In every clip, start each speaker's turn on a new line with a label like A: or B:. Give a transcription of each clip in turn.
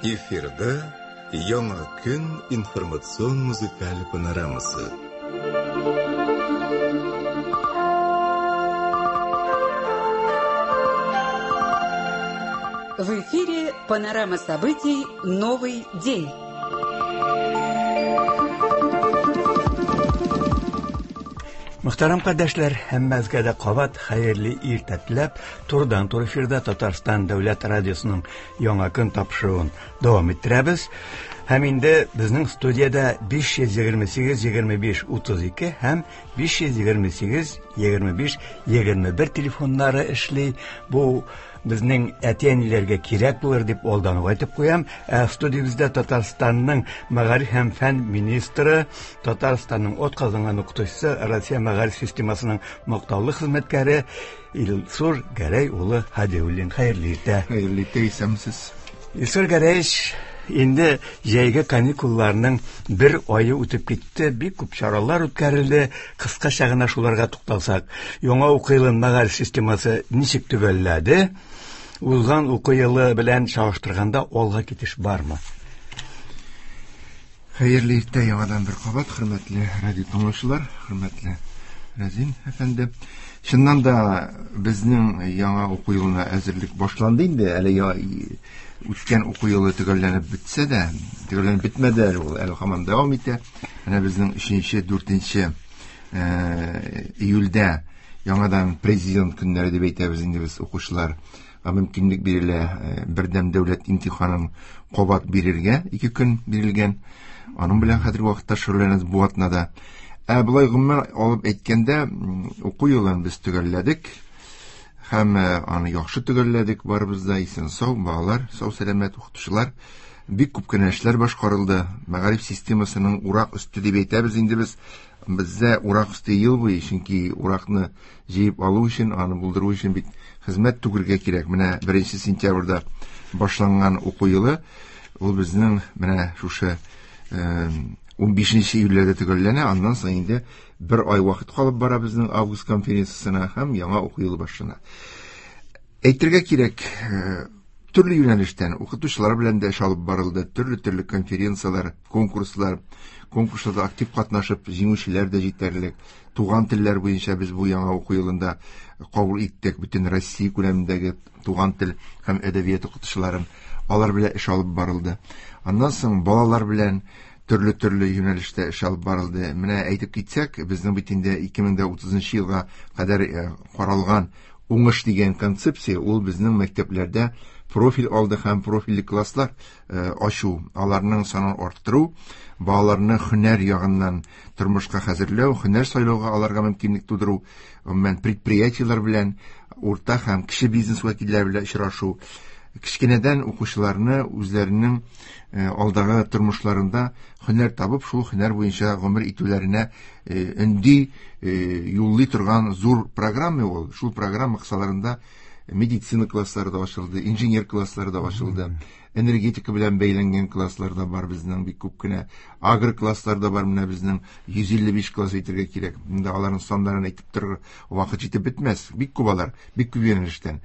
A: Эфирда Яңа көн информацион музыкаль панорамасы.
B: В эфире панорама событий «Новый день».
C: Мөхтәрәм кардәшләр, һәммәгезгә дә кабат хәерле иртә теләп, турыдан-туры эфирда Татарстан дәүләт радиосының Яңа көн тапшыруын дәвам иттерәбез. Һәм инде безнең студиядә 528 25 32 һәм 528 25 21 телефоннары эшли. Бу безнең әти-әниләргә кирәк булыр дип алдан ук әйтеп куям. Ә студиябездә Татарстанның мәгариф һәм фән министры, Татарстанның атказанган укытучысы, Россия мәгариф системасының мактаулы хезмәткәре Илсур Гәрәй улы Һадиуллин. Хәерле иртә.
D: Хәерле иртә, исәнмесез.
C: Илсур Гәрәевич, инде җәйге каникулларның бер ае үтеп китте, бик күп чаралар үткәрелде. Кыскача гына шуларга тукталсак, яңа уку елын мәгариф системасы ничек төгәлләде? Узган уку елы белән чагыштырганда алга китеш бармы?
D: Хәерле иртә яңадан бер кабат, хөрмәтле радио тыңлаучылар, хөрмәтле Рәзин әфәнде. Чыннан да безнең яңа уку елына әзерлек башланды инде. Әле үткән уку елы төгәлләнеп бетсә дә, төгәлләнеп бетмәде әле ул, әле һаман дәвам итә. Менә безнең 3-нче, 4-нче июльдә яңадан президент көннәре дип әйтәбез инде без укучылар мөмкинлек бирелә бердәм дәүләт имтиханын кабат бирергә, 2 көн бирелгән. Аның белән хәзерге вакытта шөгыльләнәбез бу атнада. Ә болай гомумән алып әйткәндә, уку елын без төгәлләдек. Һәм аны яхшы төгәлләдек, барыбыз да исән сау, балалар сау сәламәт, укытучылар. Бик күп кенә эшләр башкарылды. Мәгариф системасының урак өсте дип әйтәбез инде без. Бездә урак өсте ел буе, чөнки уракны җыеп алу өчен, аны булдыру өчен бит хезмәт түгергә кирәк. Менә 1 сентябрьдә башланган уку елы, ул безнең менә шушы 15 июльдә төгәлләнә, аннан соң инде бер ай вакыт калып бара безнең август конференциясенә һәм яңа уку елы башлана. Әйтергә кирәк, төрле юнәлештән укытучылар белән дә эш алып барылды, төрле-төрле конференцияләр, конкурслар, конкурсларда актив катнашып җиңүчеләр дә җитәрлек. Туган телләр буенча без бу яңа уку елында кабул иттек бөтен Россия күләмендәге туган тел һәм әдәбият укытучыларын, алар белән эш алып барылды. Аннан соң балалар белән төрле-төрле юнәлештә эш алып барылды. Менә әйтеп китсәк, безнең бит инде 2030 елга кадәр каралган уңыш дигән концепция, ул безнең мәктәпләрдә профиль алды һәм профильле класслар ачу, аларның санын арттыру, балаларны һөнәр ягыннан тормышка хәзерләү, һөнәр сайлауга аларга мөмкинлек тудыру, гомумән предприятиеләр белән, урта һәм кече бизнес вәкилләре белән очрашу, кечкенәдән укучыларны үзләренең алдагы тормышларында һөнәр табып, шул һөнәр буенча гомер итүләренә өнди, юллый торган зур программа ул. Шул программа кысаларында медицина класслары да ачылды, инженер класслары да ачылды, энергетика белән бәйләнгән класслар да бар безнең бик күп кенә, агро класслар да бар, менә безнең 155 класс әйтергә кирәк. Инде аларның саннарын әйтеп торыр вакыт җитеп бетмәс. Бик күп алар, бик күп юнәлештән.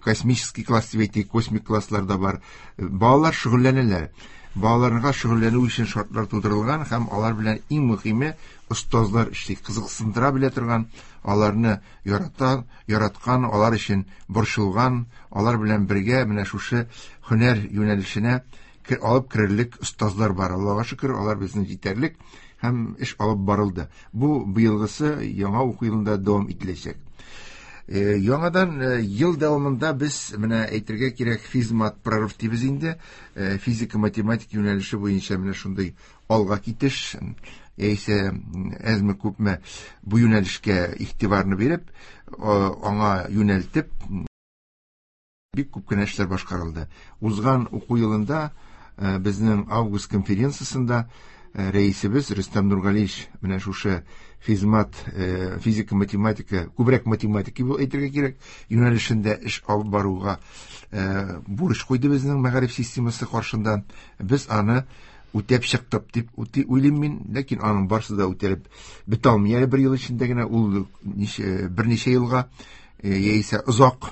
D: Космический класс дип әйтик, космик класслар да бар. Балалар шөгыльләнәләр. Балаларга шөгыльләнү өчен шартлар тудырылган һәм алар белән иң мөһиме остазлар эшли, кызыксындыра белә торган, аларны яраткан, алар өчен борчылган, алар белән бергә менә шушы һөнәр юнәлешенә алып керерлек остазлар бар. Аллаһка шөкер, алар безнең җитәрлек һәм эш алып барылды. Бу быелгысы яңа уку елында дәвам ителәчәк. Яңадан ел дәвамында без менә әйтергә кирәк, физмат прорыв дибез инде. Физика, математика юнәлеше буенча менә шундый алга китеш, яисә әзме күпме бу юнәлешкә игътибарны биреп, аңа юнәлтеп бик күп кенә эшләр башкарылды. Узган уку елында безнең август конференциясендә рәисебез Рөстәм Нургалиевич менә шушы физмат, физика, математика, күбрәк математика дип әйтергә кирәк, юнәлешендә эш алып баруга бурыч куйды безнең мәгариф системасы каршында. Без аны үтәп чыктык дип уйлыйм мин, ләкин аның барысы да үтәлеп бетә алмый. Әле бер ел эчендә генә ул берничә елга яисә озак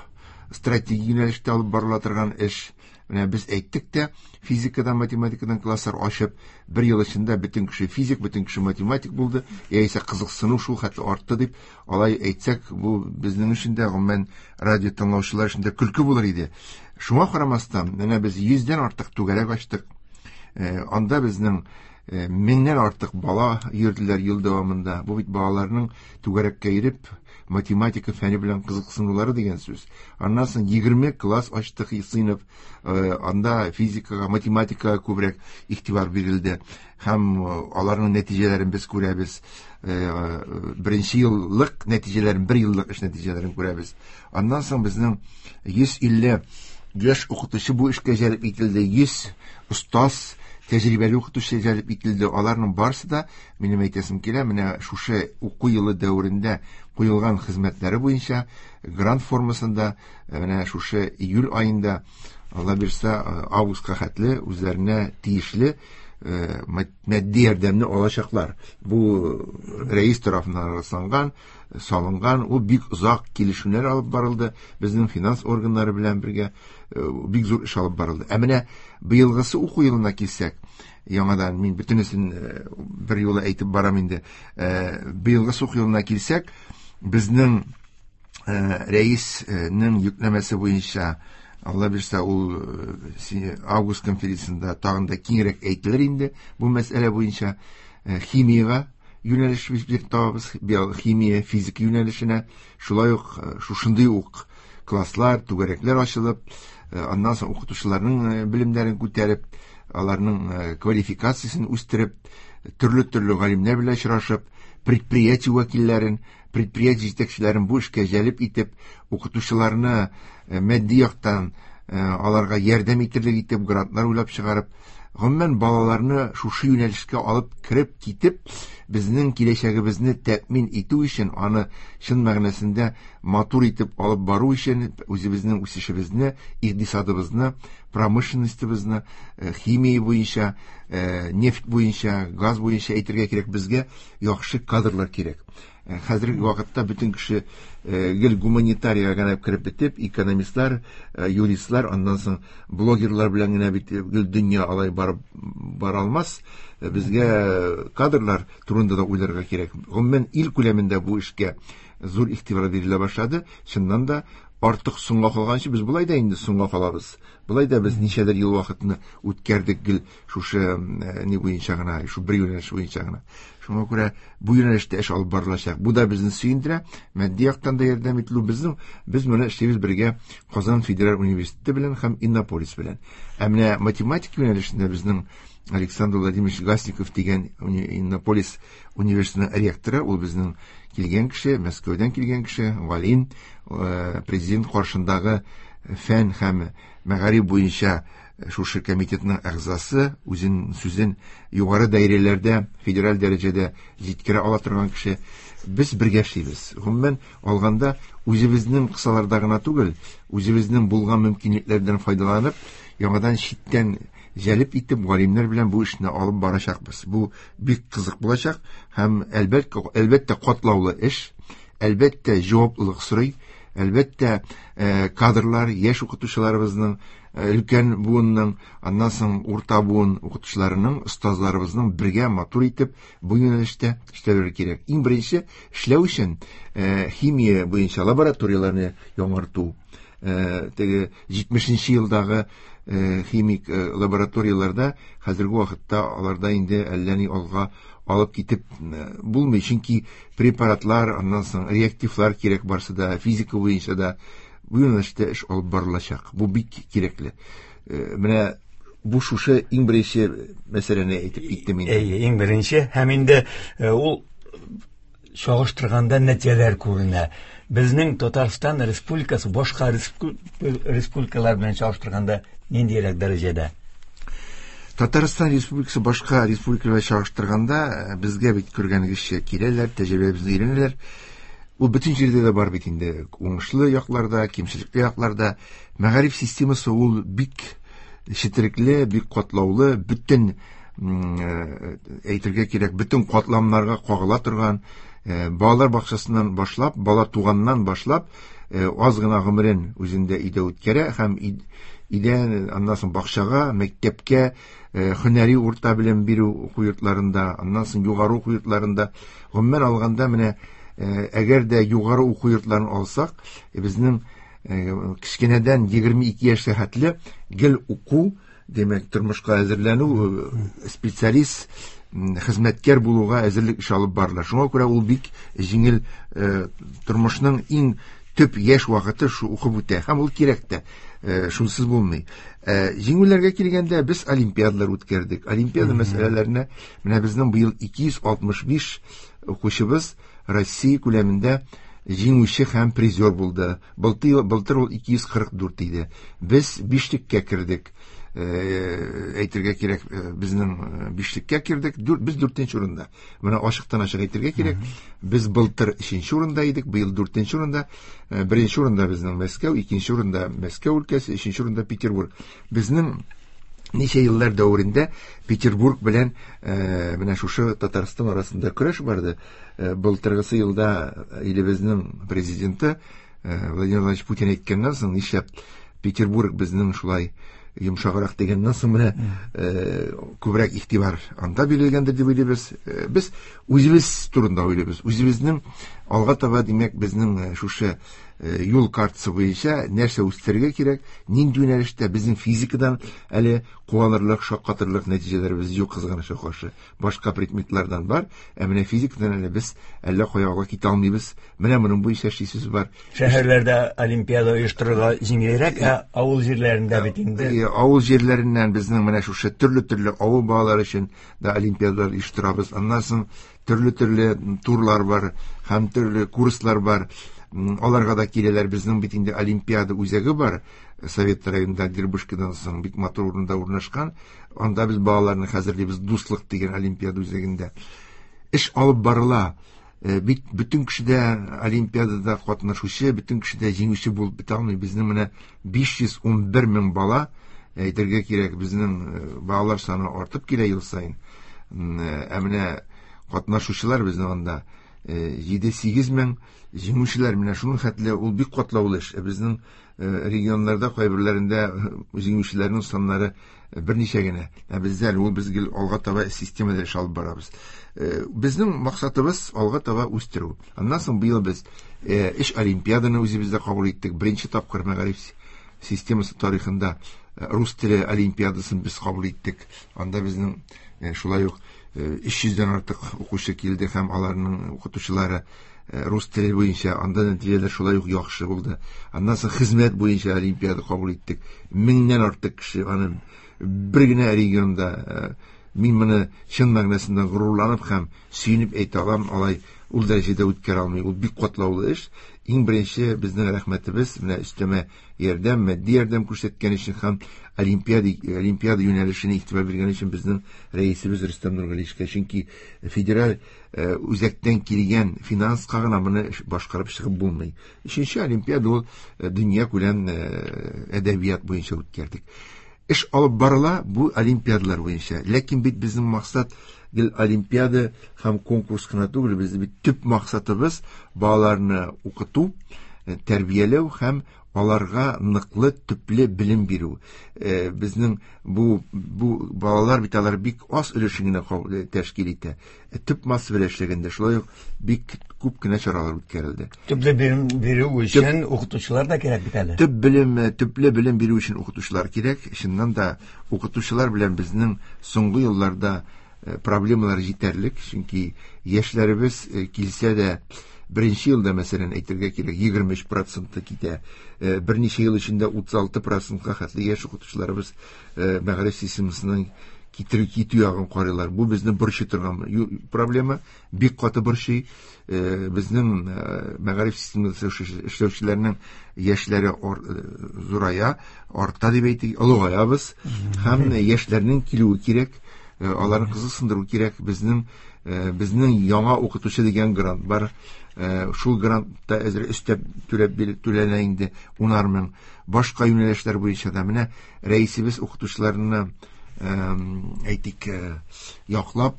D: стратегик юнәлештә алып барыла торган эш. Менә без әйттек тә, физикадан, математикадан класслар ачып, бер ел эчендә бөтен кеше физик, бөтен кеше математик булды, яисә кызыксыну шул хәтле артты дип, алай әйтсәк, бу безнең өчен дә, гомумән, радио тыңлаучылар өчен дә көлке булыр иде. Шуңа карамастан, менә без 100дән артык түгәрәк ачтык. Анда безнең 1000ннән артык бала йөрделәр ел дәвамында. Бу бит балаларның түгәрәккә йөреп, математика фәне белән кызыксынулары дигән сүз. Аннан соң 20 класс ачтык сыйныф, анда физикага, математикага күбрәк игътибар бирелде. Һәм аларның нәтиҗәләрен без күрәбез. Беренче еллык нәтиҗәләрен, бер еллык эш нәтиҗәләрен күрәбез. Аннан соң безнең 150 яшь укытучы бу эшкә җәлеп ителде, 100 остаз, тәҗрибәле укытучы җәлеп ителде. Аларның барысы да, минем әйтәсем килә, менә шушы уку елы дәверендә куелган хезмәтләре буенча грант формасында менә шушы июль аенда, Алла бирсә, августка хәтле үзләренә тиешле матди ярдәмне алачаклар. Бу рәис тарафыннан расланган, салынган, ул бик озак килешүләр алып барылды, безнең финанс органнары белән бергә бик зур эш алып барылды. Ә менә быелгысы уку елына килсәк, яңадан мин бөтенесен бер юлы әйтеп барам инде. Быелгысы уку елына килсәк, безнең рәиснең йөкләмәсе буенча, Алла бирсә, ул август конференциясендә тагын да киңрәк әйтелер инде бу мәсьәлә буенча. Химиягә юнәлеш биреп табабыз, химия, физика юнәлешенә, шулай ук шушындый ук класслар, түгәрәкләр ачылып, аннан соң укытучыларның белемнәрен күтәреп, аларның квалификациясен үстереп, төрле-төрле галимнәр белән очрашып, предприятие вәкилләрен, предприятие җитәкчеләрен бу эшкә җәлеп итеп, укытучыларны матди яктан аларга ярдәм итерлек итеп грантлар уйлап чыгарып, гомумән балаларны шушы юнәлешкә алып кереп китеп, безнең киләчәгебезне тәэмин итү өчен, аны чын мәгънәсендә матур итеп алып бару өчен, үзебезнең үсешебезне, икътисадыбызны, промышленностебызны, химия буенча, нефть буенча, газ буенча әйтергә кирәк, безгә яхшы кадрлар кирәк. Хәзерге вакытта бөтен кеше гел гуманитарияга гына кереп бетеп, экономистлар, юристлар, аннан соң блогерлар белән генә бит гел дөнья алай барып бара алмас. Безгә кадрлар турында да уйларга кирәк. Гомумән, ил күләмендә бу эшкә зур игътибар бирелә башлады. Чыннан да артык соңга калганчы без болай да инде соңга калабыз. Болай да без ничәдер ел вакытны үткәрдек гел шушы ни буенча гына, шу бер юнәлеш буенча гына. Шуңа күрә бу юнәлештә эш алып барылачак. Бу да безне сөендерә, матди яктан да ярдәм ителү безнең, без моны эшлибез бергә Казан федераль университеты белән һәм Иннополис белән. Ә менә математика юнәлешендә безнең Александр Владимирович Гасников дигән Иннополис университетының ректоры, ул безнең килгән кеше, Мәскәүдән килгән кеше, галим, президент каршындагы фән һәм мәгариф буенча шушы комитетның әгъзасы, үзен сүзен югары даирәләрдә, федераль дәрәҗәдә җиткерә ала торган кеше. Без бергә эшлибез. Гомумән алганда, үзебезнең кысаларда гына түгел, үзебезнең булган мөмкинлекләрдән файдаланып, яңадан читтән җәлеп итеп, галимнәр белән бу эшне алып барачакбыз. Бу бик кызык булачак һәм әлбәттә катлаулы эш, әлбәттә җаваплылык сорый, әлбәттә, кадрлар, яшь укытучыларыбызның, өлкән буынның, аннан соң урта буын укытучыларының, остазларыбызның бергә матур итеп бу юнәлештә эшләүләре кирәк. Иң беренче эшләү өчен, химия буенча лабораторияләрне яңарту, теге 70 елдагы химик лабораторияләрдә хәзерге вакытта аларда инде әллә ни алга алып китеп булмый, чөнки препаратлар, аннан соң реактивлар кирәк барсы да, физика буенча да бу юнәлештә эш алып барылачак. Бу бик кирәкле. Менә бу шушы иң беренче мәсьәләне әйтеп киттем инде.
C: Әйе, иң беренче һәм инде ул чагыштырганда нәтиҗәләр күренә. Безнең Татарстан Республикасы башка республикалар белән чагыштырганда ниндирәк дәрәҗәдә?
D: Татарстан Республикасы башка республикалар белән чагыштырганда, безгә бит күргәнегезчә киләләр, тәҗрибәбезне өйрәнәләр. Ул бөтен җирдә дә бар бит инде, уңышлы якларда, кимчелекле якларда. Мәгариф системасы ул бик четерекле, бик катлаулы, бөтен, әйтергә кирәк, бөтен катламнарга кагыла торган, балалар бакчасыннан башлап, бала туганнан башлап, Аз гына гомерен үзендә өйдә үткәрә һәм өйдән аннан соң бакчага, мәктәпкә, һөнәри урта белем бирү уку йортларында, аннан соң югары уку йортларында. Гомумән алганда, менә әгәр дә югары уку йортларын алсак, безнең кечкенәдән 22 яшькә хәтле гел уку, димәк, тормышка әзерләнү, специалист, хезмәткәр булуга әзерлек эше алып барыла. Шуңа күрә ул бик җиңел, тормышның иң төп яшь вакыты шу укып үтә һәм ул кирәк тә, шунсыз булмый. Җиңүләргә килгәндә, без олимпиадалар үткәрдек. Олимпиада мәсьәләләренә менә безнең быел 265 укучыбыз Россия күләмендә җиңүче һәм призер булды. Былтыр ул 244 иде. Без бишлеккә кердек. Әйтергә кирәк, безнең бишлеккә кердек. Без дүртенче урында. Менә ачыктан ачык әйтергә кирәк. Без былтыр өченче урында идек, быел дүртенче урында. Беренче урында безнең Мәскәү, икенче урында Мәскәү өлкәсе, өченче урында Петербург. Безнең ничә еллар дәверендә Петербург белән менә шушы Татарстан арасында көрәш барды. Былтыргысы елда илебезнең президенты Владимир Владимирович Путин әйткәннән соң, нишләп Петербург безнең шулай йомшаграк дигәннән соң, менә күбрәк игътибар анда бирелгәндер дип уйлыйбыз. Без үзебез турында уйлыйбыз. Үзебезнең алга таба, димәк, безнең шушы юл картасы буенча нәрсә үстерергә кирәк, нинди юнәлештә. Безнең физикадан әле куанырлык, шаккатырлык нәтиҗәләребез юк, кызганычка каршы. Башка предметлардан бар, ә менә физикадан әле без әллә кая алга китә алмыйбыз. Менә моның буенча эшлисебез бар.
C: Шәһәрләрдә олимпиада оештырырга җиңелрәк, ә авыл җирләрендә бит инде.
D: Авыл җирләреннән безнең менә шушы төрле-төрле авыл балалары өчен дә олимпиадалар оештырабыз. Аннан соң төрле-төрле турлар бар һәм төрле курслар бар. Аларга да киләләр. Безнең бит инде олимпиада үзәге бар. Совет районында Дербышкадан соң бик матур урында урнашкан. Анда без балаларны хәзерлибез Дуслык дигән олимпиада үзәгендә. Эш алып барыла. Бит бөтен кеше дә олимпиадада катнашучы, бөтен кеше дә җиңүче булып бетә алмый. Безнең менә 511 мең бала, әйтергә кирәк, безнең балалар саны артып килә ел саен. Ә менә катнашучылар безнең анда 7-8 мең, җиңүчеләр менә шуның хәтле, ул бик катлаулы эш. Безнең регионнарда кайберләрендә җиңүчеләрнең саннары берничә генә. Ә бездә әле ул, без гел алга таба системада эш алып барабыз. Безнең максатыбыз алга таба үстерү. Аннан соң быел без өч олимпиаданы үзебездә кабул иттек. Беренче тапкыр мәгариф системасы тарихында рус теле олимпиадасын без кабул иттек. Анда безнең шулай ук өч йөздән артык укучы килде һәм аларның укытучылары. Рус теле буенча анда нәтиҗәләр шулай ук яхшы булды. Аннан соң хезмәт буенча олимпиада кабул иттек. Меңнән артык кеше аны бер генә регионда, мин моны чын мәгънәсендә горурланып һәм сөенеп әйтә алам, алай ул дәрәҗәдә үткәрә алмый. Ул бик катлаулы эш. Иң беренче безнең рәхмәтебез менә өстәмә ярдәм, матди ярдәм күрсәткән өчен һәм олимпиада юнәлешенә игътибар биргән өчен безнең рәисебез Рөстәм Нургалиевичка, чөнки федераль үзәктән килгән финанска гына моны башкарып чыгып булмый. Өченче олимпиада ул дөнья күләм әдәбият буенча үткәрдек. Эш алып барыла бу олимпиадалар буенча. Ләкин бит безнең максат гел олимпиада һәм конкурс кына түгел, безнең бит төп максатыбыз балаларны укыту, тәрбияләү һәм аларга ныклы, төпле белем бирү. Безнең бу балалар бит алар бик аз өлешен генә тәшкил итә. Төп масса белән эшләгәндә шулай ук бик күп кенә чаралар үткәрелде.
C: Төпле белем бирү өчен укытучылар да кирәк бит әле.
D: Төп төпле белем бирү өчен укытучылар кирәк. Чыннан да укытучылар белән безнең соңгы елларда проблемалар җитәрлек, чөнки яшьләребез килсә дә беренче елда, мәсәлән, әйтергә кирәк, егерме өч проценты китә. Берничә ел эчендә утыз алты процентка хәтле яшь укытучыларыбыз мәгариф системасының китү ягын карыйлар. Бу безне борчый торган проблема, бик каты борчый. Безнең мәгариф системасында эшләүчеләрнең яшьләре зурая, арта дип әйтик, олыгаябыз. Һәм яшьләрнең килүе кирәк, аларны кызыксындыру кирәк. Безнең яңа укытучы дигән грант бар. Шул грантта әзер өстәп түләп түләнә инде унар мең. Башка юнәлешләр буенча да менә рәисебез укытучыларны әйтик, яклап,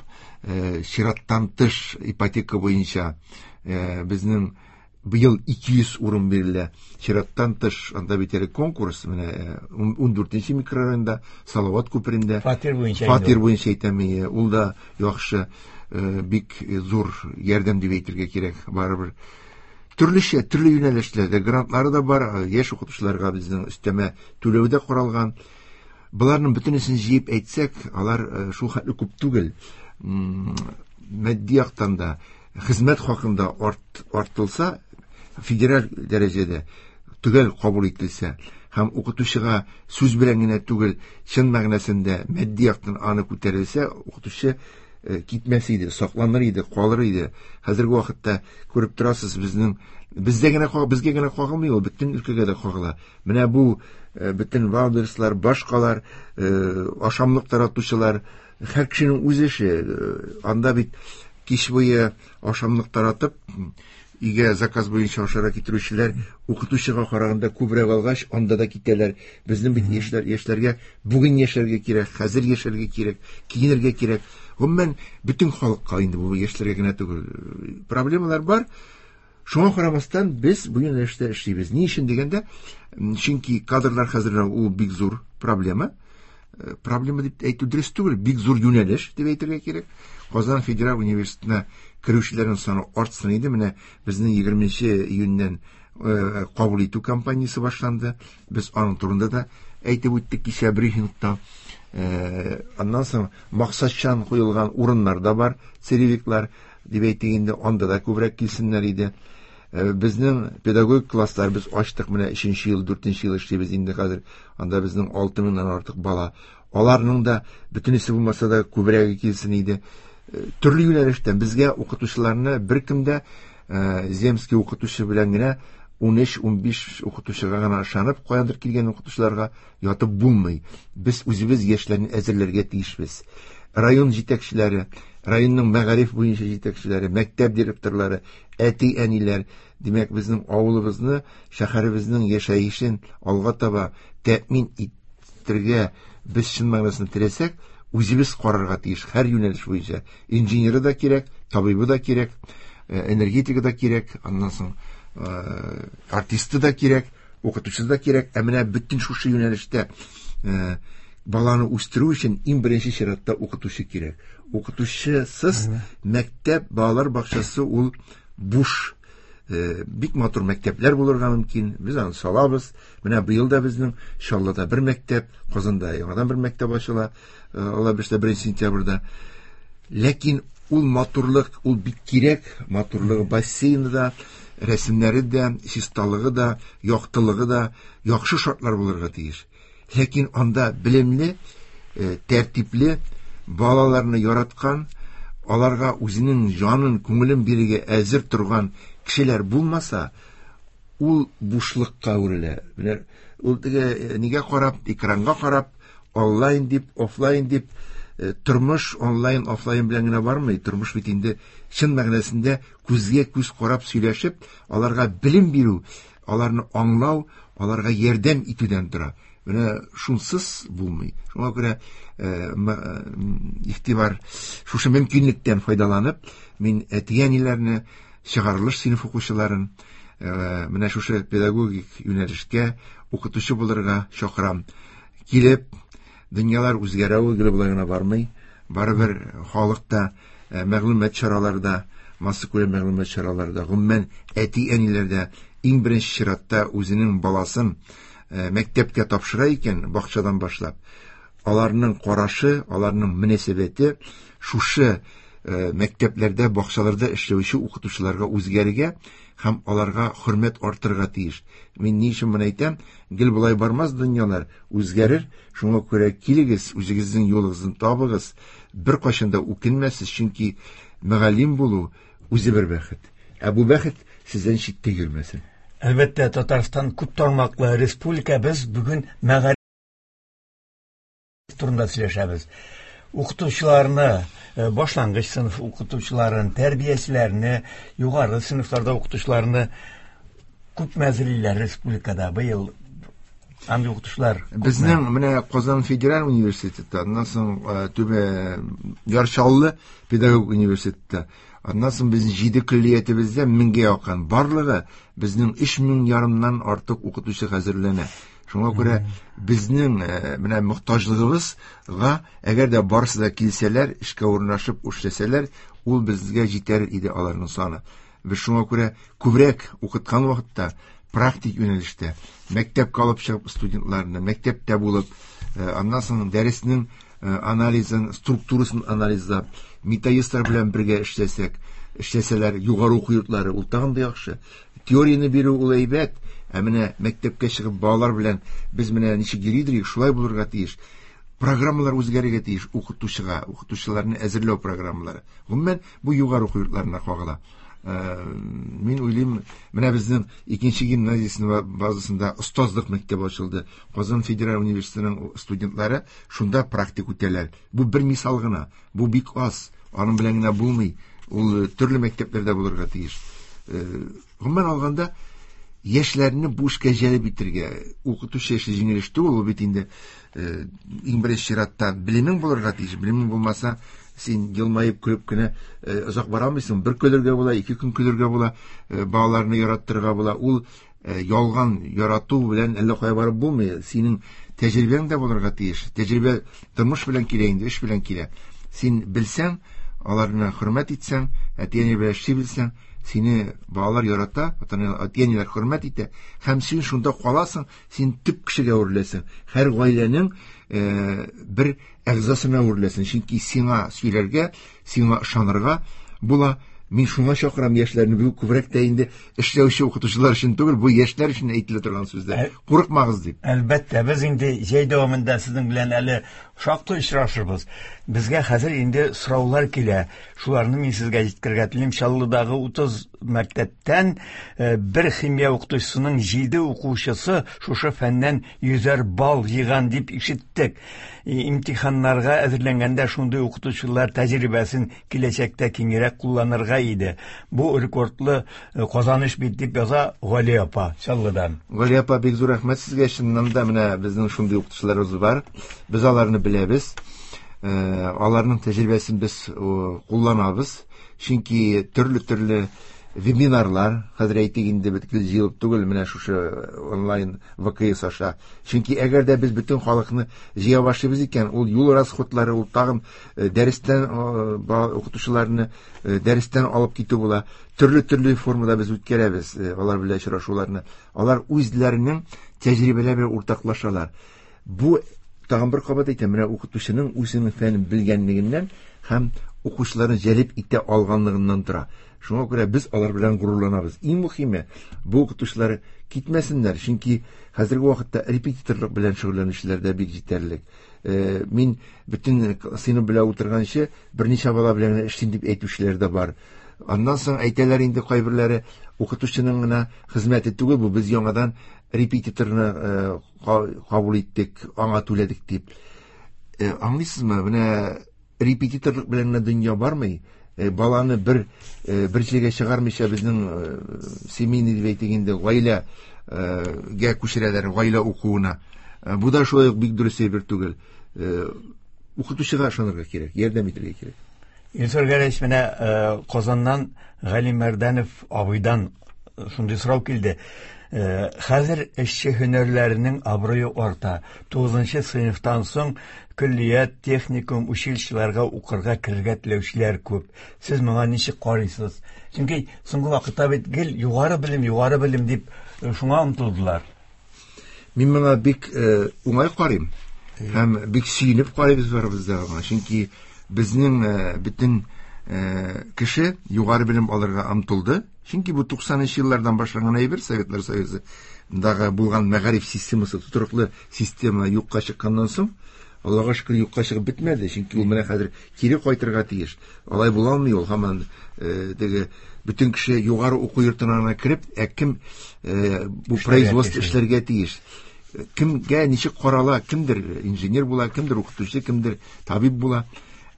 D: чираттан тыш ипотека буенча безнең Быел 200 урын бирелә. Чираттан тыш анда бит әле конкурс, менә 14 микрорайонда, Салават күперендә.
C: Фатир буенча.
D: Фатир буенча әйтәм, ул да яхшы, бик зур ярдәм дип әйтергә кирәк, барыбер. Төрлечә, төрле юнәлешләрдә грантлары да бар, яшь укытучыларга безнең өстәмә түләү дә каралган. Боларның бөтенесен җыеп әйтсәк, алар шул хәтле күп түгел. Матди яктан да, хезмәт хакында артылса, федераль дәрәҗәдә төгәл кабул ителсә һәм укытучыга сүз белән генә түгел, чын мәгънәсендә матди яктан аны күтәрелсә, укытучы китмәс иде, сакланыр иде, калыр иде. Хәзерге вакытта күреп торасыз, безнең бездә генә безгә генә кагылмый ул, бөтен өлкәгә дә кагыла. Менә бу бөтен валдерслар, башкалар, ашамлык таратучылар, һәр кешенең үз эше. Анда бит кич буе ашамлык таратып, өйгә заказ буенча ашарга китерүчеләр укытучыга караганда күбрәк алгач, анда да китәләр. Безнең бит яшьләргә бүген яшәргә кирәк, хәзер яшәргә кирәк, киенергә кирәк. Гомумән, бөтен халыкка инде бу яшьләргә генә түгел. Проблемалар бар. Шуңа карамастан без бу юнәлештә эшлибез. Ни өчен дигәндә, чөнки кадрлар хәзерләү ул бик зур проблема. Проблема дип әйтү дөрес түгел, бик зур юнәлеш дип әйтергә кирәк. Казан федераль университетына керүчеләрнең саны артсын иде. Менә безнең 20 июньнән кабул итү кампаниясе башланды. Без аның турында да әйтеп үттек кичә брифингта. Аннан соң максатчан куелган урыннар да бар, целевиклар дип әйтик инде, анда да күбрәк килсеннәр иде. Безнең педагогик класслар без ачтык, менә 3 ел, 4 ел эшлибез инде хәзер. Анда безнең 6000-нан артык бала. Аларның да бөтенесе булмаса да күбрәге килсен иде. Төрле юнәлештән безгә укытучыларны беркем дә земский укытучы белән генә 13-15 укытучыга гына ышанып, каяндыр килгән укытучыларга ятып булмый. Без үзебез яшьләрне әзерләргә тиешбез. Район җитәкчеләре, районның мәгариф буенча җитәкчеләре, мәктәп директорлары, әти-әниләр, димәк, безнең авылыбызны, шәһәребезнең яшәешен алга таба тәэмин итәргә без чын мәгънәсендә теләсәк, үзебез карарга тиеш һәр юнәлеш буенча. Инженеры да кирәк, табибы да кирәк, энергетигы да кирәк, аннан соң артисты да кирәк, укытучысы да кирәк. Ә менә бөтен шушы юнәлештә баланы үстерү өчен иң беренче чиратта укытучы кирәк. Укытучысыз мәктәп, балалар бакчасы ул буш. Бик матур мәктәпләр булырга мөмкин. Без аны салабыз. Менә быел да безнең Чаллыда бер мәктәп, Казанда яңадан бер мәктәп ачыла. Алла бирсә 1 сентябрьдә. Ләкин ул матурлык, ул бик кирәк. Матурлыгы бассейны да, рәсемнәре дә, чисталыгы да, яктылыгы да, яхшы шартлар булырга тиеш. Ләкин анда белемле, тәртипле, балаларны яраткан, аларга үзенең җанын, күңелен бирергә әзер торган кешеләр булмаса, ул бушлыкка әверелә. Менә ул теге нигә карап, экранга карап, онлайн дип, офлайн дип, тормыш онлайн, офлайн белән генә бармый. Тормыш бит инде чын мәгънәсендә күзгә күз карап сөйләшеп, аларга белем бирү, аларны аңлау, аларга ярдәм итүдән тора. Менә шунсыз булмый. Шуңа күрә игътибар шушы мөмкинлектән файдаланып, мин әти-әниләрне, чыгарылыш сыйныф укучыларын менә шушы педагогик юнәлешкә укытучы булырга чакырам. Килеп, дөньялар үзгәрә, ул гел болай гына бармый. Барыбер халык та, мәгълүмат чаралары да, массакүләм мәгълүмат чаралары да, гомумән әти-әниләр дә иң беренче чиратта үзенең баласын мәктәпкә тапшыра икән, бакчадан башлап, аларның карашы, аларның мөнәсәбәте шушы мәктәпләрдә, бакчаларда эшләүче укытучыларга үзгәрергә һәм аларга хөрмәт артырга тиеш. Мин ни өчен моны әйтәм? Гел болай бармас дөньялар, үзгәрер. Шуңа күрә килегез, үзегезнең юлыгызны табыгыз, беркайчан да үкенмәсез, чөнки мөгаллим булу үзе бер бәхет. Ә бу бәхет сездән читтә йөрмәсен.
C: Әлбәттә, Татарстан күп тармаклы республика. Без бүген мәгариф турында сөйләшәбез. Укытучыларны, башлангыч сыйныф укытучыларын, тәрбиячеләрне, югары сыйныфларда укытучыларны күп әзерлиләр республикада быел. Андый укытучылар.
D: Безнең менә Казан федераль университеты, аннан соң Түбән Яр Чаллы педагог университеты, аннан соң безнең 7 көллиятебездә 1000гә якын, барлыгы безнең 3500-нан артык укытучы хәзерләнә. Шуңа күрә безнең менә мохтаҗлыгыбызга, әгәр дә барысы да килсәләр, эшкә урнашып эшләсәләр, ул безгә җитәр иде аларның саны. Без шуңа күрә күбрәк укыткан вакытта практик юнәлештә мәктәпкә алып чыгып студентларны, мәктәптә булып, аннан соң дәреснең анализын, структурасын анализлап, методистлар белән бергә эшләсәк, эшләсәләр югары уку йортлары, ул тагын да яхшы. Теорияне бирү ул әйбәт, ә менә мәктәпкә чыгып балалар белән без менә ничек йөридек, шулай булырга тиеш. Программалар үзгәрергә тиеш укытучыга, укытучыларны әзерләү программалары. Гомумән, бу югары уку йортларына кагыла. Мин уйлыйм, менә безнең икенче гимназиясенең базасында остазлык мәктәбе ачылды. Казан федераль университетының студентлары шунда практик үтәләр. Бу бер мисал гына, бу бик аз, аның белән генә булмый. Ул төрле мәктәпләрдә булырга тиеш. Гомумән алганда, яшьләрне бу эшкә җәлеп итәргә, укытучы эше җиңел эш түгел, ул бит инде иң беренче чиратта белемең булырга тиеш. Белемең булмаса, син елмаеп көлеп кенә озак бара алмыйсың. Бер көлергә була, ике көн көлергә була, балаларны яраттырырга була. Ул ялган ярату белән әллә кая барып булмый. Синең тәҗрибәң дә булырга тиеш. Тәҗрибә тормыш белән килә инде, эш белән килә. Син белсәң, аларны хөрмәт итсәң, әти-әни белән эшли белсәң, сине балалар ярата, әти-әниләр хөрмәт итә, һәм син шунда каласың, син төп кешегә әвереләсең. Һәр гаиләнең бер әгъзасына әвереләсең, чөнки сиңа сөйләргә, сиңа ышанырга була. Мин шуңа чакырам яшьләрне, бу күбрәк тә инде эшләүче укытучылар өчен түгел, бу яшьләр өчен әйтелә торган сүзләр. Курыкмагыз дип.
C: Әлбәттә, без инде җәй дәвамында сезнең белән әле шактый очрашырбыз. Безгә хәзер инде сораулар килә. Шуларны мин сезгә җиткерергә телим. Чаллыдагы 30 мәктәптән бер химия укытучысының 7 укучысы шушы фәннән 100 балл җыйган дип ишеттек. Имтиханнарга әзерләнгәндә шундый укытучылар тәҗрибәсен киләчәктә киңрәк кулланырга иде. Бу рекордлы казаныш бит дип яза Галия апа Чаллыдан.
D: Галия апа, бик зур рәхмәт сезгә. Чыннан да менә безнең шундый укытучыларыбыз бар. Без аларны беләбез. Аларның тәҗрибәсен без кулланабыз. Чөнки төрле-төрле вебинарлар, хәзер әйтик инде бөтен җыелып түгел, менә шушы онлайн ВКС аша. Чөнки әгәр дә без бөтен халыкны җыя башлыйбыз икән, ул юл расходлары, ул тагын дәрестән укытучыларны дәрестән алып китү була. Төрле-төрле формада без үткәрәбез алар белән очрашуларны. Алар үзләренең тәҗрибәләре белән уртаклашалар. Бу тагын бер кабат әйтәм, менә укытучының үзенең фәнен белгәнлегеннән һәм укучыларны җәлеп итә алганлыгыннан тора. Шуңа күрә без алар белән горурланабыз. Иң мөһиме, бу укытучылар китмәсеннәр, чөнки хәзерге вакытта репетиторлык белән шөгыльләнүчеләр дә бик җитәрлек. Мин бөтен сыйныф белән утырганчы берничә бала белән генә эшлим дип әйтүчеләр дә бар. Аннан соң әйтәләр инде кайберләре, укытучының гына хезмәте түгел бу, без яңадан репетиторны кабул иттек, аңа түләдек дип. Аңлыйсызмы, менә репетиторлык белән генә дөнья бармый. Баланы бер җиргә чыгармыйча безнең семейный дип әйтик инде, гаиләгә күчерәләр, гаилә укуына. Бу да шулай ук бик дөрес әйбер түгел. Укытучыга ышанырга кирәк, ярдәм итәргә кирәк.
C: Илсур Гәрәевич, менә Казаннан Гали Мәрдәнов абыйдан шундый сорау килде. Хәзер эшче һөнәрләренең абруе арта. 9 сыйныфтан соң көллият, техникум, училищеларга укырга керергә теләүчеләр күп. Сез моңа ничек карыйсыз? Чөнки соңгы вакытта бит гел югары белем, югары белем дип шуңа омтылдылар.
D: Мин моңа бик уңай карыйм һәм бик сөенеп карыйбыз барыбыз да аңа. Чөнки безнең бөтен кеше югары белем алырга омтылды. Чөнки бу туксанынчы еллардан башланган әйбер, Советлар Союзындагы булган мәгариф системасы, тотрыклы система юкка чыкканнан соң, Аллага шөкер, юкка чыгып бетмәде, чөнки ул менә хәзер кире кайтырга тиеш. Алай була алмый ул, һаман теге бөтен кеше югары уку йортына гына кереп, ә кем бу производство эшләргә тиеш? Кемгә ничек карала, кемдер инженер була, кемдер укытучы, кемдер табиб була.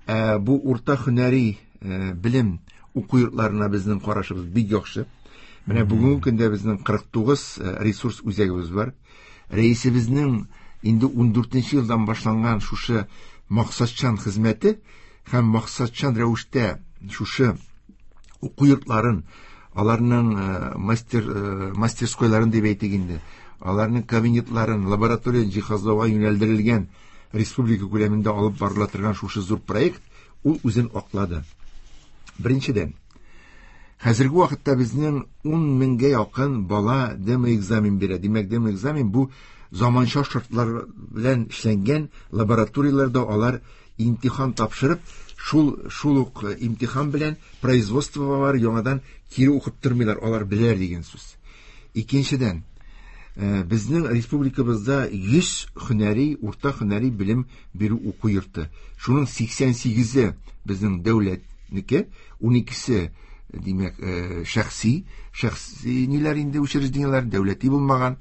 D: Бу урта һөнәри белем уку йортларына безнең карашыбыз бик яхшы. Менә бүгенге көндә безнең 49 ресурс үзәгебез бар. Рәисебезнең инде 14 елдан башланган шушы максатчан хезмәте һәм максатчан рәвештә шушы уку йортларын, аларның мастерскойларын дип әйтик инде, аларның кабинетларын, лаборатория җиһазлауга юнәлдерелгән республика күләмендә алып барыла торган шушы зур проект ул үзен аклады. Беренчедән, хәзерге вакытта безнең 10 меңгә якын бала демо-экзамен бирә. Димәк, демо-экзамен бу заманча шартлар белән эшләнгән лабораторияләрдә алар имтихан тапшырып, шул ук имтихан белән производствога бар, яңадан кире укып тормыйлар, алар беләләр дигән сүз. Икенчедән, безнең республикабызда 100 һөнәри, урта һөнәри белем бирү уку йорты. Шуның 88-е безнең дәүләтнеке, 12-се, димәк, шәхси ниләр инде учреждениеләр, дәүләти булмаган.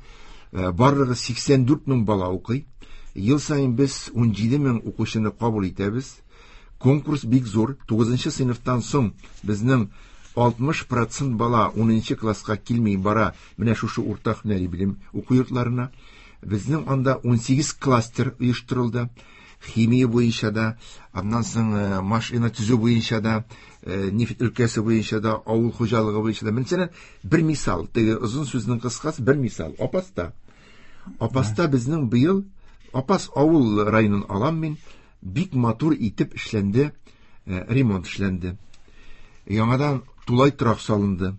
D: Барлыгы 84 мең бала укый. Ел саен без 17 мең укучыны кабул итәбез. Конкурс бик зур. 9 сыйныфтан соң безнең 60% бала 10 класска килми бара менә шушы урта һөнәри белем уку йортларына. Безнең анда 18 кластер оештырылды. Химия буенча да, аннан соң машина төзү буенча да, нефть өлкәсе буенча да, авыл хуҗалыгы буенча да. Мәсәлән, бер мисал, теге озын сүзнең кыскасы бер мисал. Апаста. Апаста безнең быел Апас авыл районын алам мин, бик матур итеп эшләнде, ремонт эшләнде. Яңадан тулай торак салынды.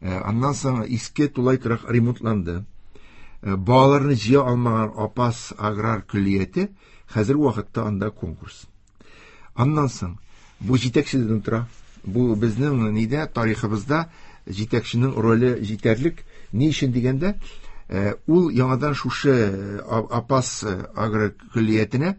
D: Аннан соң иске тулай торак ремонтланды. Балаларны җыя алмаган Апас аграр көллияте хәзерге вакытта анда конкурс. Аннан соң бу җитәкчедән тора. Бу безнең нидә тарихыбызда җитәкченең роле җитәрлек. Ни өчен дигәндә, ул яңадан шушы Апас аграр көллиятенә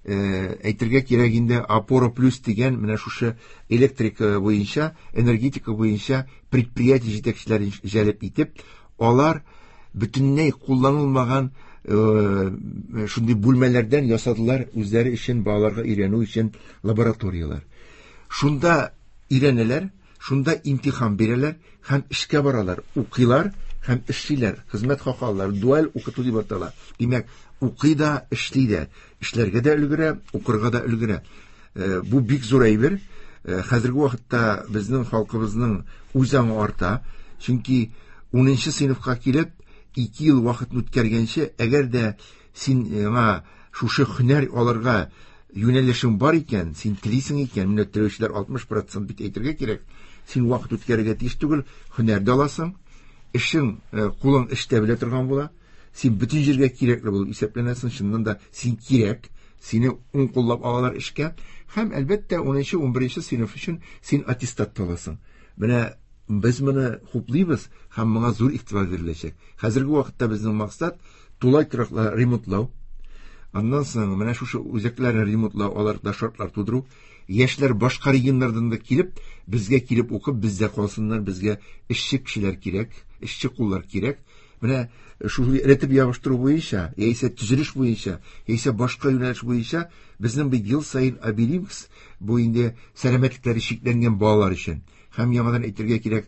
D: әйтергә кирәк инде Опора плюс дигән менә шушы электрика буенча, энергетика буенча предприятие җитәкчеләрен җәлеп итеп, алар бөтенләй кулланылмаган шундый бүлмәләрдән ясадылар үзләре өчен балаларга өйрәнү өчен лабораторияләр. Шунда өйрәнәләр, шунда имтихан бирәләр һәм эшкә баралар, укыйлар һәм эшлиләр, хезмәт хакы алалар, дуаль укыту дип атала. Димәк, укый да, эшли дә, эшләргә дә өлгерә, укырга да өлгерә. Бу бик зур әйбер. Хәзерге вакытта безнең халкыбызның үз аңы арта, чөнки 10 сыйныфка килеп 2 ел вакыт үткәргәнче, әгәр дә син яңа шушы һөнәр алырга юнәлешең бар икән, син телисең икән, менә теләүчеләр 60% бит әйтергә кирәк, син вакыт үткәрергә тиеш түгел, һөнәр дә аласың, эшең, кулың эштә белә торган була, син бөтен җиргә кирәкле булып исәпләнәсең, чыннан да син кирәк, сине уң куллап алалар эшкә, һәм әлбәттә 10-11 сыйныф өчен син аттестат та аласың. Менә без моны хуплыйбыз һәм моңа зур игътибар биреләчәк. Хәзерге вакытта безнең максат тулай тораклар ремонтлау. Аннан соң менә шушы үзәкләрне ремонтлау, аларда шартлар тудыру. Яшьләр башка регионнардан да килеп, безгә килеп укып, бездә калсыннар, безгә эшче кешеләр кирәк, эшче куллар кирәк. Менә шул рәтеп ябыштыру буенча, яисә төзелеш буенча, яисә башка юнәлеш буенча безнең бит ел саен Обелинкс, бу инде сәламәтлекләре чикләнгән балалар өчен. Һәм яңадан әйтергә кирәк,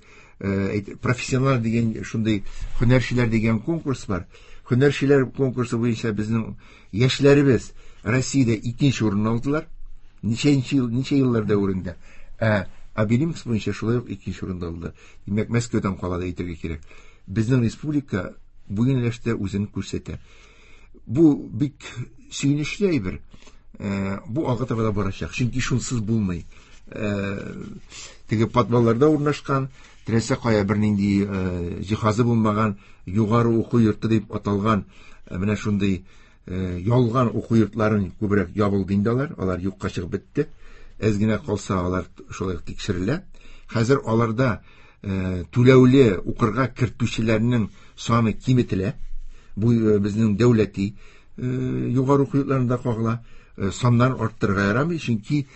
D: профессионал дигән шундый һөнәрчеләр дигән конкурс бар. Һөнәрчеләр конкурсы буенча безнең яшьләребез Россиядә 2-нче урын алдылар. Ничәнче ел, ничә еллар дәверендә. Ә Обелинкс буенча шулай ук 2-нче урында алдылар. Димәк, Мәскәүдән кала да әйтергә кирәк. Безнең республика бу юнәлештә үзен күрсәтә. Бу бик сөенечле әйбер. Бу алга таба да барачак, чөнки шунсыз булмый. Теге подвалларда урнашкан, теләсә кая бернинди җиһазы булмаган югары уку йорты дип аталган менә шундый ялган уку йортларын күбрәк ябылды инде алар, алар юкка чыгып бетте. Әз генә калса алар шулай ук тикшерелә. Хәзер аларда түләүле укырга кертүчеләрнең саны киметелә. Бу безнең дәүләти югары уку йортларында кагыла. Саннарын арттырырга ярамый, чөнки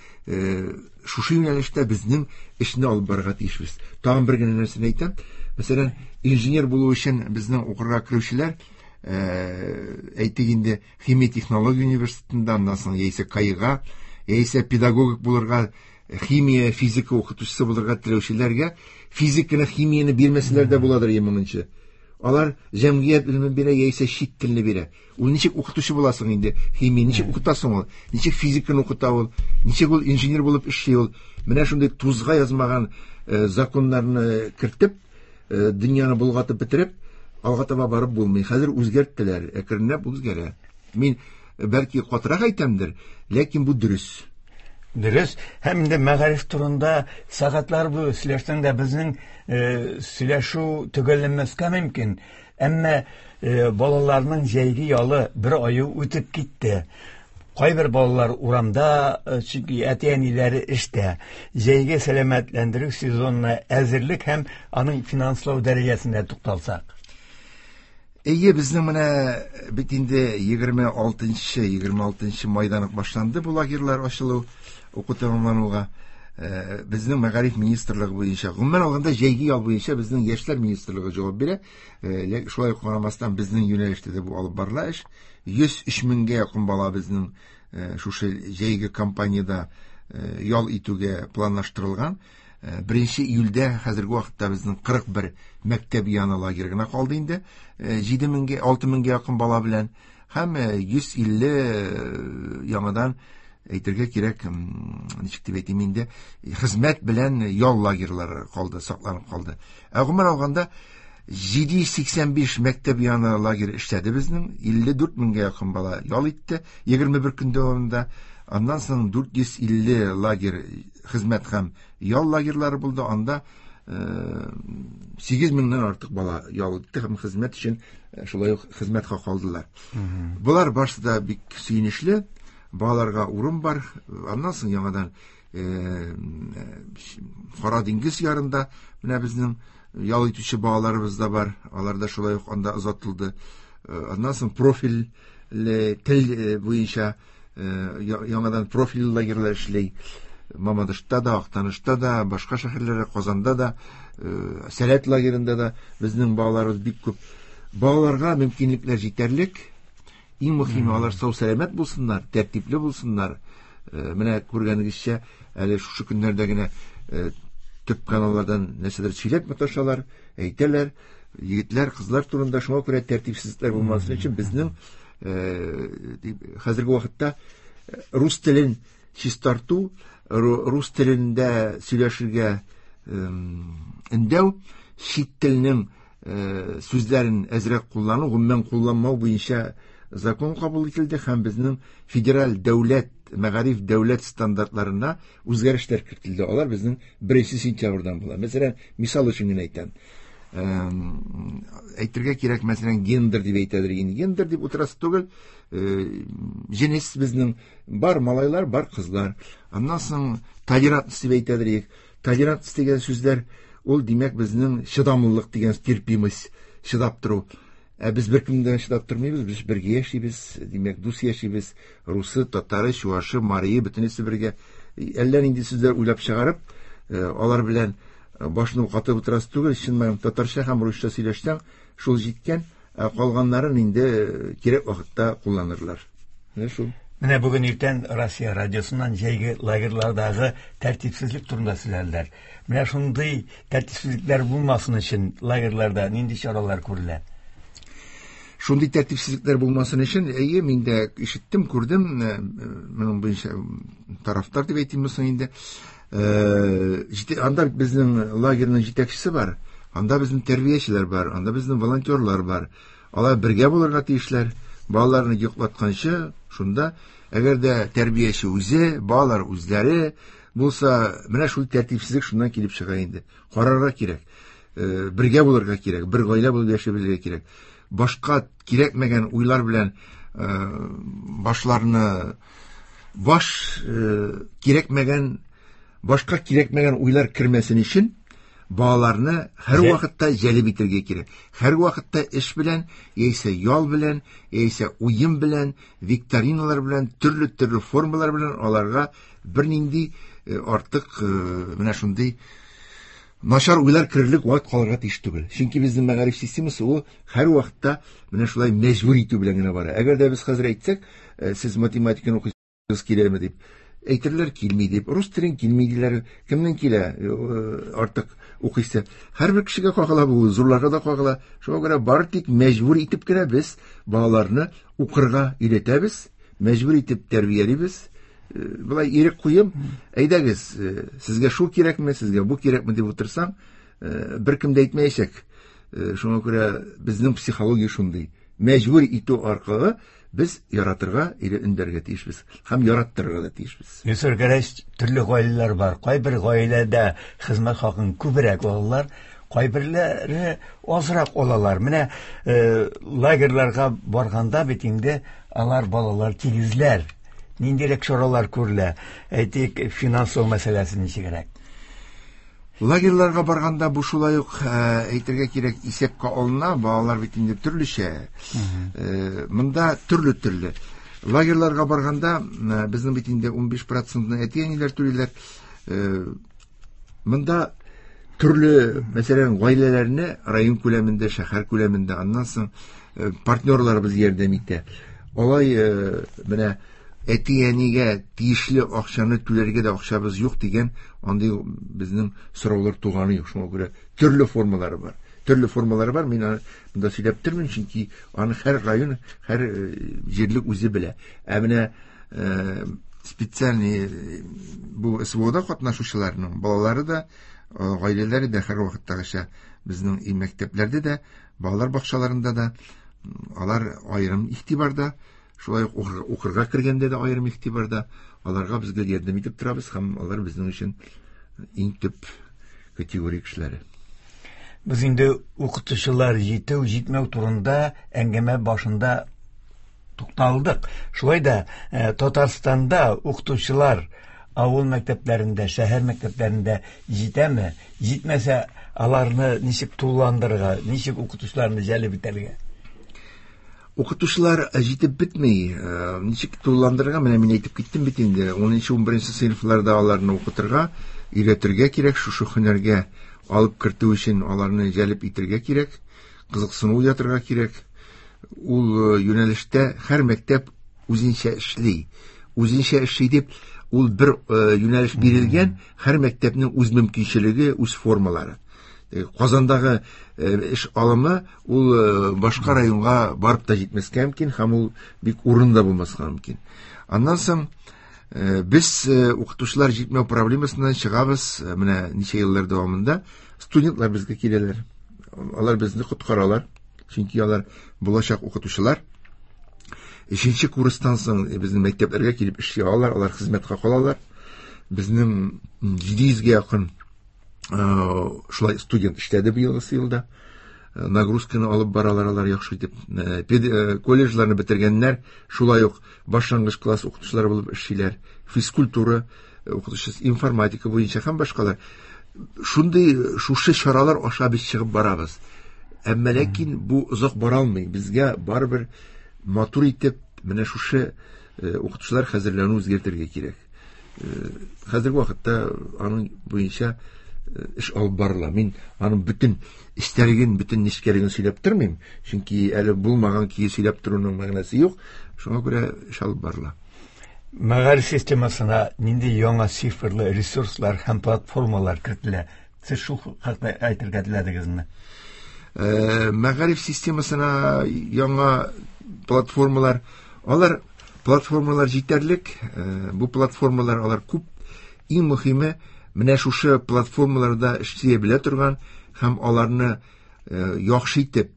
D: шушы юнәлештә безнең эшне алып барырга тиешбез. Тагын бер генә нәрсәне әйтәм. Мәсәлән, инженер булу өчен безнең укырга керүчеләр, әйтик инде, химия технология университетында, аннан соң яисә КАИга, яисә педагогик булырга, химия, физика укытучысы булырга теләүчеләргә физиканы, химияне бирмәсәләр дә буладыр моңынчы. Алар җәмгыять белемен бирә яисә чит телне бирә. Ул ничек укытучы буласың инде? Химия ничек укытасың ул? Ничек физиканы укыта ул? Ничек ул инженер булып эшли ул? Менә шундый тузга язмаган законнарны кертеп, дөньяны болгатып бетереп, алга таба барып булмый. Хәзер үзгәрттеләр, әкренләп үзгәрә. Мин бәлки катырак әйтәмдер, ләкин бу дөрес.
C: Дөрес. Һәм инде мәгариф турында сәгатьләр буе сөйләшсәң дә безнең сөйләшү төгәлләнмәскә мөмкин. Әмма балаларның җәйге ялы бер ае үтеп китте. Кайбер балалар урамда, чөнки әти-әниләре эштә. Җәйге сәламәтләндерү сезонына әзерлек һәм аның финанслау дәрәҗәсенә тукталсак.
D: Әйе, безнең менә бит инде 26 майдан ук башланды бу лагерьлар ачылу, уку тәмамлануга. Безнең мәгариф министрлыгы буенча, гомумән алганда җәйге ял буенча безнең яшьләр министрлыгы җавап бирә. Шулай ук карамастан безнең юнәлештә дә бу алып барыла эш. 103 меңгә якын бала безнең шушы җәйге кампаниядә ял итүгә планлаштырылган. 1 июльдә хәзерге вакытта безнең 41 мәктәп яны лагерь гына калды инде. 7 меңгә, 6 меңгә якын бала белән һәм 150 яңадан әйтергә кирәк, ничек дип әйтим инде, хезмәт белән ял лагерьлары калды, сакланып калды. Ә гомумән алганда 785 мәктәп яны лагерь эшләде безнең, 54 меңгә якын бала ял итте 21 көн дәвамында. Аннан соң 450 лагерь хезмәт һәм ял лагерьлары булды. Анда 8 меңнән артык бала ял итте һәм хезмәт өчен шулай ук хезмәт хакы алдылар. Болар барысы да бик сөенечле. Балаларга урын бар. Аннан соң яңадан Кара диңгез ярында менә безнең ял итүче балаларыбыз да бар. Алар да шулай ук анда озатылды. Аннан соң профильле тел буенча яңадан профильле лагерьлар эшли. Мамадышта да, Актанышта да, башка шәһәрләрдә, Казанда да, Сәләт лагерында да безнең балаларыбыз бик күп. Балаларга мөмкинлекләр җитәрлек. Иң мөһиме, алар сау-сәламәт булсыннар, тәртипле булсыннар. Менә күргәнегезчә, әле шушы көннәрдә генә төп каналлардан нәрсәдер сөйләп маташалар, әйтәләр. Егетләр, кызлар турында, шуңа күрә тәртипсезлекләр булмасын өчен безнең хәзерге вакытта рус телен чистарту, рус телендә сөйләшергә өндәү, чит телнең сүзләрен әзрәк куллану, гомумән кулланмау буенча закон кабул ителде һәм безнең федераль дәүләт, мәгариф дәүләт стандартларына үзгәрешләр кертелде. Алар безнең 1 сентябрьдән була. Мәсәлән, мисал өчен генә әйтәм. Әйтергә кирәк, мәсәлән, гендер дип әйтәдер. Инде гендер дип утырасы түгел. Җенес безнең бар малайлар, бар кызлар. Аннан соң толерантность дип әйтәдер. Толерантность дигән сүзләр ул, димәк, безнең чыдамлылык дигән терпимость, чыдап тору. Ә без беркемдән чыдап тормыйбыз, без бергә яшибез, димәк, дус яшибез. Русы, татары, чуашы, марие, бөтенесе бергә. Әллә нинди сүзләр уйлап чыгарып, алар белән башны катып утырасы түгел, чын мәгънәдә татарча һәм русча сөйләшсәң, шул җиткән, ә калганнарын инде кирәк вакытта кулланырлар. Менә шул.
C: Менә бүген иртән Россия радиосыннан җәйге лагерьлардагы тәртипсезлек турында сөйләделәр. Менә шундый тәртипсезлекләр булмасын өчен лагерьларда нинди чаралар күрелә?
D: Шундый тәртипсезлекләр булмасын өчен, әйе, мин дә ишеттем, күрдем, моның буенча тарафтар дип әйтимме соң инде. Анда безнең лагерьның җитәкчесе бар, анда безнең тәрбиячеләр бар, анда безнең волонтерлар бар. Алар бергә булырга тиешләр. Балаларны йоклатканчы, шунда, әгәр дә тәрбияче үзе, балалар үзләре булса, менә шул тәртипсезлек шуннан килеп чыга инде. Карарга кирәк, бергә булырга кирәк, бер гаилә булып яшәй белергә кирәк. Башка кирәкмәгән уйлар белән башларны, баш кирәкмәгән, башка кирәкмәгән уйлар кермәсен өчен балаларны һәр вакытта җәлеп итәргә кирәк. Һәр вакытта эш белән, яисә ял белән, яисә уен белән, викториналар белән, төрле-төрле формалар белән аларга бернинди артык менә шундый начар уйлар керерлек вакыт калырга тиеш түгел. Чөнки безнең мәгариф системасы ул һәр вакытта менә шулай мәҗбүр итү белән генә бара. Әгәр дә без хәзер әйтсәк, сез математиканы укыйсыз киләме дип, Әйтерләр килми дип, рус телен килми диләр. Кемнең килә артык укыйсы? Һәрбер кешегә кагыла бу, зурларга да кагыла. Шуңа күрә бары тик мәҗбүр итеп кенә без балаларны укырга өйрәтәбез, мәҗбүр итеп тәрбиялибез. Болай ирек куеп, әйдәгез, сезгә шул кирәкме, сезгә бу кирәкме дип утырсаң, беркем дә әйтмәячәк. Шуңа күрә безнең психология шундый. Мәҗбүр итү аркылы без яратырга или өндәргә тиешбез һәм яраттырырга да тиешбез.
C: Илсур Гәрәевич, төрле гаиләләр бар. Кайбер гаиләдә хезмәт хакын күбрәк алалар, кайберләре азрак алалар. Менә лагерьларга барганда бит инде алар балалар тигезләр. Ниндирәк чаралар күрелә? Әйтик, финанслау мәсьәләсе ничегрәк?
D: Лагерьларга барганда бу шулай ук әйтергә кирәк, исәпкә алына, балалар бит инде төрлечә. Монда төрле-төрле. Лагерьларга барганда безнең бит инде 15%-ны әти-әниләр түлиләр. Монда төрле, мәсәлән, гаиләләрне район күләмендә, шәһәр күләмендә, аннан соң партнерларыбыз ярдәм итә. Алай менә әти-әнигә тиешле акчаны түләргә дә акчабыз юк дигән андый безнең сораулар туганы юк. Шуңа күрә төрле формалары бар. Төрле формалары бар. Мин аны монда сөйләп тормыйм, чөнки аны һәр район, һәр җирлек үзе белә. Ә менә специальный бу СВОда катнашучыларның балалары да, гаиләләре дә һәр вакыттагыча безнең мәктәпләрдә дә, балалар бакчаларында да алар аерым игътибарда. Шулай ук укырга кергәндә дә аерым игътибарда, аларга без гел ярдәм итеп торабыз һәм алар безнең өчен иң төп категория кешеләре.
C: Без инде укытучылар җитү, җитмәү турында әңгәмә башында тукталдык. Шулай да Татарстанда укытучылар авыл мәктәпләрендә, шәһәр мәктәпләрендә җитәме? Җитмәсә, аларны ничек тулыландырырга, ничек укытучыларны җәлеп итәргә?
D: Укытучылар җитеп бетми. Ничек тулыландырырга? Менә мин әйтеп киттем бит инде. 10-11 сыйныфларда аларны укытырга, өйрәтергә кирәк, шушы һөнәргә алып кертү өчен аларны җәлеп итергә кирәк, кызыксыну уятырга кирәк. Ул юнәлештә һәр мәктәп үзенчә эшли. Үзенчә эшли дип, ул бер юнәлеш бирелгән, һәр мәктәпнең үз мөмкинчелеге, үз формалары. Казандагы эш алымы ул башка районга барып та җитмәскә мөмкин һәм ул бик урында булмаска мөмкин. Аннан соң без укытучылар җитмәү проблемасыннан чыгабыз. Менә ничә еллар дәвамында студентлар безгә киләләр. Алар безне коткаралар, чөнки алар булачак укытучылар. 3нче курстан соң безнең мәктәпләргә килеп эшли алалар, алар хезмәткә калалар. Безнең 700гә якын шулай студент эшләде быелгы елда. Нагрузканы алып баралар алар яхшы итеп. Колледжларны бетергәннәр, шулай ук башлангыч класс укытучылары булып эшлиләр. Физкультура укытучысы, информатика буенча һәм башкалар. Шундый шушы чаралар аша без чыгып барабыз. Әмма ләкин бу озак бара алмый. Безгә барыбер матур итеп менә шушы укытучылар хәзерләүне үзгәртергә кирәк. Хәзерге вакытта аның буенча эш алып барыла. Мин аның бөтен эчтәлеген, бөтен нечкәлеген сөйләп тормыйм, чөнки әле булмаган көе сөйләп торуның мәгънәсе юк. Шуңа күрә эш алып барыла.
C: Мәгариф системасына нинди яңа цифрлы ресурслар һәм платформалар кертелә? Сез шул хакта әйтергә теләдегезме?
D: Мәгариф системасына яңа платформалар, алар платформалар җитәрлек. Бу платформалар алар күп. Иң мөһиме менә шушы платформаларда эшли белә торган һәм аларны яхшы итеп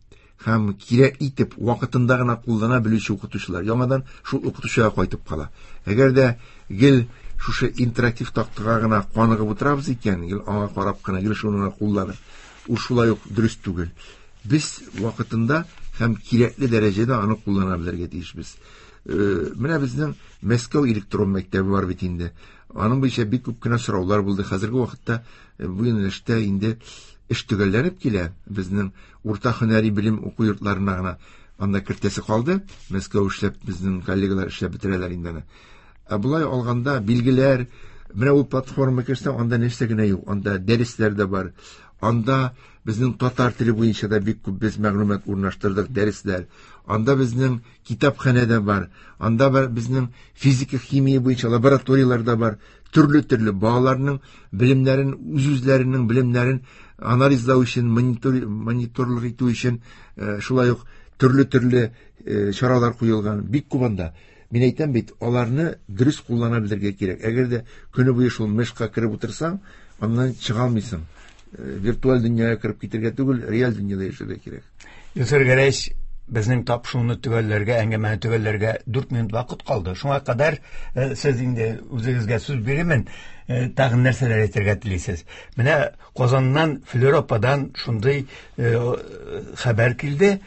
D: һәм кирәк итеп вакытында гына куллана белүче укытучылар яңадан шул укытучыга кайтып кала. Әгәр дә гел шушы интерактив тактага гына каныгып утырабыз икән, гел аңа карап кына, гел шуны гына кулланып, ул шулай ук дөрес түгел. Без вакытында һәм кирәкле дәрәҗәдә аны куллана белергә тиешбез. Менә безнең Мәскәү электрон мәктәбе бар бит инде. Аның буенча бик күп кенә сораулар булды. Хәзерге вакытта бу юнәлештә инде эш төгәлләнеп килә. Безнең урта һөнәри белем уку йортларына гына анда кертәсе калды. Мәскәү эшләп, безнең коллегалар эшләп бетерәләр инде аны. Ә болай алганда билгеләр, менә ул платформа керсәң, анда нәрсә генә юк. Анда дәресләр дә бар. Анда безнең татар теле буенча да бик күп без мәгълүмат урнаштырдык, дәресләр. Анда безнең китапханә дә бар. Анда бар безнең физика, химия буенча лабораторияләр дә бар. Төрле-төрле балаларның белемнәрен, үз-үзләренең белемнәрен анализлау өчен, мониторлык итү өчен, шулай ук төрле-төрле чаралар куелган. Бик күп анда. Мин әйтәм бит, аларны дөрес куллана белергә кирәк. Әгәр дә көне буе шул мешка кереп утырсаң, аннан чыга алмыйсың. Виртуаль дөньяга кереп китергә түгел, реаль дөньяда яшәргә кирәк.
C: Илсур Гәрәевич, безнең тапшыруны төгәлләргә, әңгәмәне төгәлләргә 4 минут вакыт калды. Шуңа кадәр сез инде үзегезгә сүз бирермен, тагын нәрсәләр әйтергә телисез? Менә Казаннан Флера ападан шундый хәбәр килде.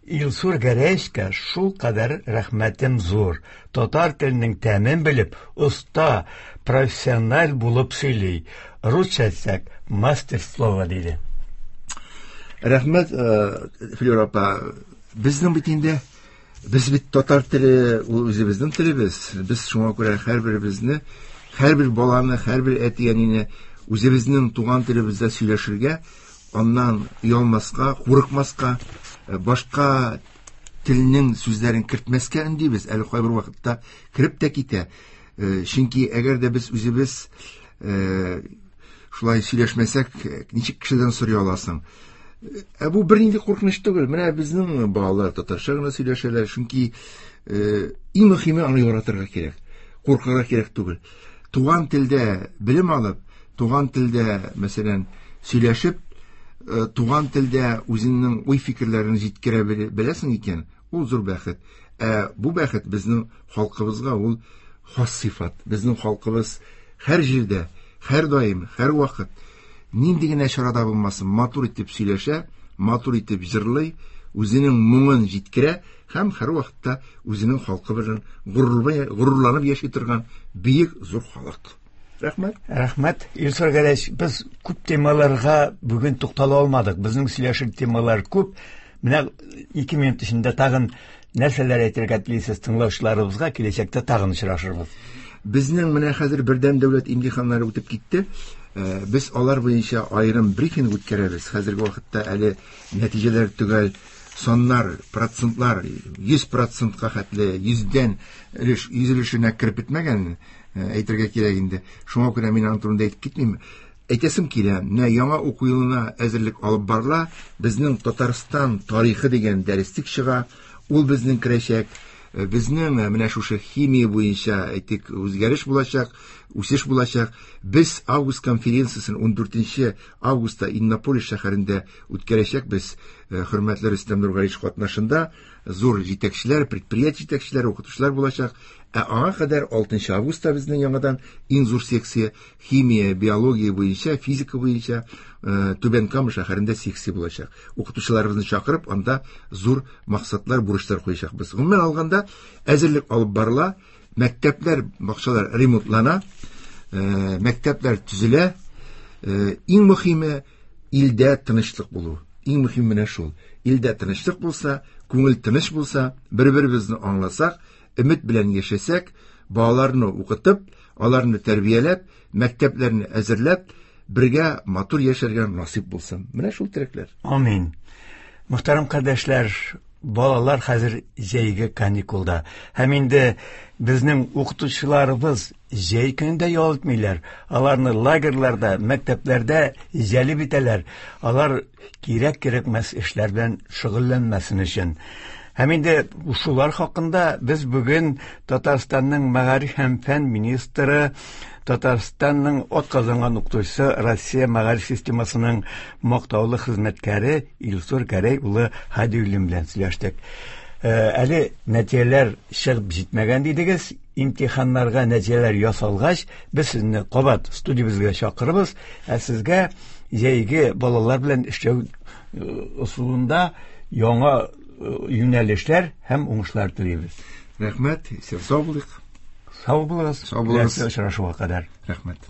C: Илсур Гәрәевичка шул кадәр рәхмәтем зур. Татар теленең тәмен белеп, оста, профессиональ булып сөйли. Русча әйтсәк, мастер слова диде.
D: Рәхмәт, Флера апа. Безнең бит инде, без бит татар теле, ул үзебезнең телебез. Без шуңа күрә һәрберебезне, һәрбер баланы, һәрбер әти-әнине үзебезнең туган телебездә сөйләшергә, аннан оялмаска, курыкмаска, башка телнең сүзләрен кертмәскә өндибез. Әле кайбер вакытта кереп тә китә. Чөнки әгәр дә без үзебез шулай сөйләшмәсәк, ничек кешедән сорый аласың? Ә бу бернинди куркыныч түгел. Менә безнең балалар татарча гына сөйләшәләр, чөнки иң мөһиме аны яратырга кирәк. Куркырга кирәк түгел. Туган телдә белем алып, туган телдә, мәсәлән, сөйләшеп, туган телдә үзеңнең уй-фикерләрен җиткерә беләсең икән, ул зур бәхет. Ә бу бәхет безнең халкыбызга ул хас сыйфат. Безнең халкыбыз һәр җирдә, һәр даим, һәр вакыт нинди генә чарада булмасын, матур итеп сөйләшә, матур итеп җырлый, үзенең моңын җиткерә һәм һәр вакытта үзенең халкы белән горурланып яши торган бөек зур халык. Рәхмәт.
C: Рәхмәт. Илсур Гәрәевич, без күп темаларга бүген туктала алмадык. Безнең сөйләшер темалар күп. Менә 2 минут эчендә тагын нәрсәләр әйтергә телисез тыңлаучыларыбызга, киләчәктә тагын очрашырбыз.
D: Безнең менә хәзер бердәм дәүләт имтиханнары үтеп китте. Без алар буенча аерым брифинг үткәрәбез. Хәзерге вакытта әле нәтиҗәләр төгәл, саннар, процентлар йөз процентка хәтле, йөздән өлеш, йөз өлешенә кереп бетмәгән, әйтергә кирәк инде. Шуңа күрә мин аның турында әйтеп китмим. Әйтәсем килә, менә яңа уку елына әзерлек алып барыла. Безнең Татарстан тарихы дигән дәреслек чыга. Ул безнең керәчәк. Безнең менә шушы химия буенча, әйтик, үзгәреш булачак, үсеш булачак. Без август конференциясен ундүртенче августта Иннополис шәһәрендә үткәрәчәкбез. Хөрмәтле Рөстәм Нургалиевич катнашында зур җитәкчеләр, предприятие җитәкчеләре, укытучылар булачак. Ә аңа кадәр алтынчы августта безнең яңадан иң зур секция химия, биология буенча, физика буенча Түбән Кама шәһәрендә секция булачак. Укытучыларыбызны чакырып, анда зур максатлар, бурычлар куячакбыз. Гомумән алганда, әзерлек алып барыла, мәктәпләр, бакчалар ремонтлана, мәктәпләр төзелә. Иң мөһиме илдә тынычлык булу. Иң мөһиме менә шул. Илдә тынычлык булса, күңел тыныч булса, бер-беребезне аңласак, өмет белән яшәсәк, балаларны укытып, аларны тәрбияләп, мәктәпләрне әзерләп, бергә матур яшәргә насыйп булсын. Менә шул теләкләр.
C: Амин. Мөхтәрәм кардәшләр, балалар хәзер җәйге каникулда. Һәм инде безнең укытучыларыбыз җәй көнендә ял итмиләр. Аларны лагерьларда, мәктәпләрдә җәлеп итәләр. Алар кирәк-кирәкмәс эшләр белән шөгыльләнмәсен өчен. Һәм инде шулар хакында без бүген Татарстанның мәгариф һәм фән министры, Татарстанның атказанган укытучысы, Россия мәгариф системасының мактаулы хезмәткәре Илсур Гәрәй улы Һадиуллин белән сөйләштек. Әле нәтиҗәләр чыгып җитмәгән дидегез. Имтиханнарга нәтиҗәләр ясалгач, без сезне кабат студиябезгә чакырыбыз. Ә сезгә җәйге балалар белән эшләү ысулында яңа юнәлешләр һәм уңышлар телибез.
D: Рәхмәт, сау булыйк.
C: Сау булыгыз.
D: Сау булыгыз.
C: Киләсе очрашуга кадәр.
D: Рәхмәт.